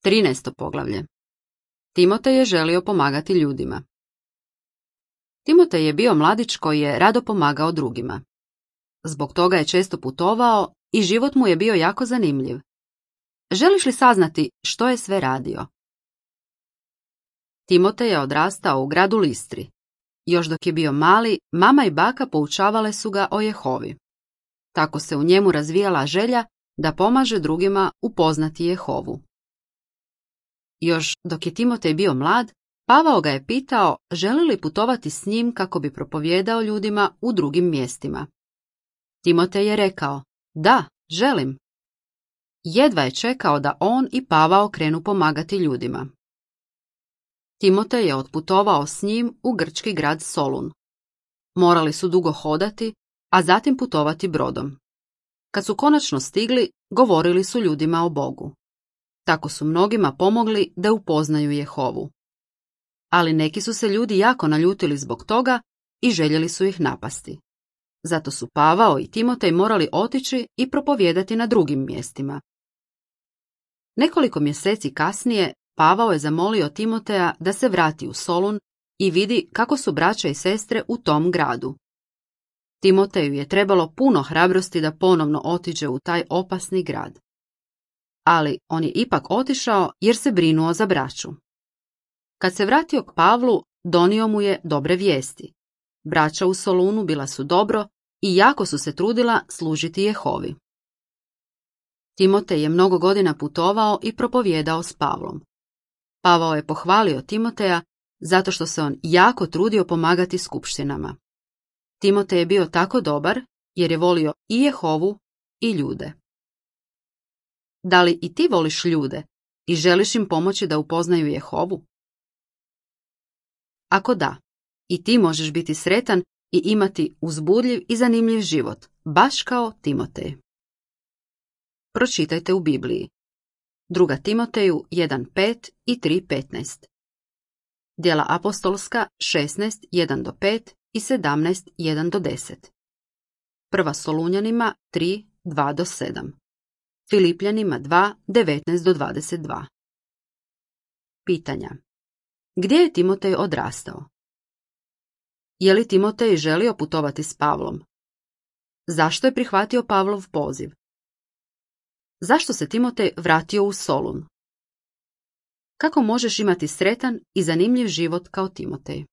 13. poglavlje. Timotej je želio pomagati ljudima. Timotej je bio mladić koji je rado pomagao drugima. Zbog toga je često putovao i život mu je bio jako zanimljiv. Želiš li saznati što je sve radio? Timotej je odrastao u gradu Listri. Još dok je bio mali, mama i baka poučavale su ga o Jehovi. Tako se u njemu razvijala želja da pomaže drugima upoznati Jehovu. Još dok je Timotej bio mlad, Pavao ga je pitao želi li putovati s njim kako bi propovijedao ljudima u drugim mjestima. Timotej je rekao, da, želim. Jedva je čekao da on i Pavao krenu pomagati ljudima. Timotej je otputovao s njim u grčki grad Solun. Morali su dugo hodati, a zatim putovati brodom. Kad su konačno stigli, govorili su ljudima o Bogu. Tako su mnogima pomogli da upoznaju Jehovu. Ali neki su se ljudi jako naljutili zbog toga i željeli su ih napasti. Zato su Pavao i Timotej morali otići i propovijedati na drugim mjestima. Nekoliko mjeseci kasnije Pavao je zamolio Timoteja da se vrati u Solun i vidi kako su braća i sestre u tom gradu. Timoteju je trebalo puno hrabrosti da ponovno otiđe u taj opasni grad. Ali on je ipak otišao jer se brinuo za braću. Kad se vratio k Pavlu, donio mu je dobre vijesti. Braća u Solunu bila su dobro i jako su se trudila služiti Jehovi. Timotej je mnogo godina putovao i propovijedao s Pavlom. Pavao je pohvalio Timoteja zato što se on jako trudio pomagati skupštinama. Timotej je bio tako dobar jer je volio i Jehovu i ljude. Da li i ti voliš ljude i želiš im pomoći da upoznaju Jehovu? Ako da, i ti možeš biti sretan i imati uzbudljiv i zanimljiv život, baš kao Timotej. Pročitajte u Bibliji. 2. Timoteju 1.5 i 3.15. Djela apostolska 16.1-5 i 17.1-10. 1. Solunjanima 3.2-7. Filipljanima 2.19-22. Pitanja. Gdje je Timotej odrastao? Je li Timotej želio putovati s Pavlom? Zašto je prihvatio Pavlov poziv? Zašto se Timotej vratio u Solun? Kako možeš imati sretan i zanimljiv život kao Timotej?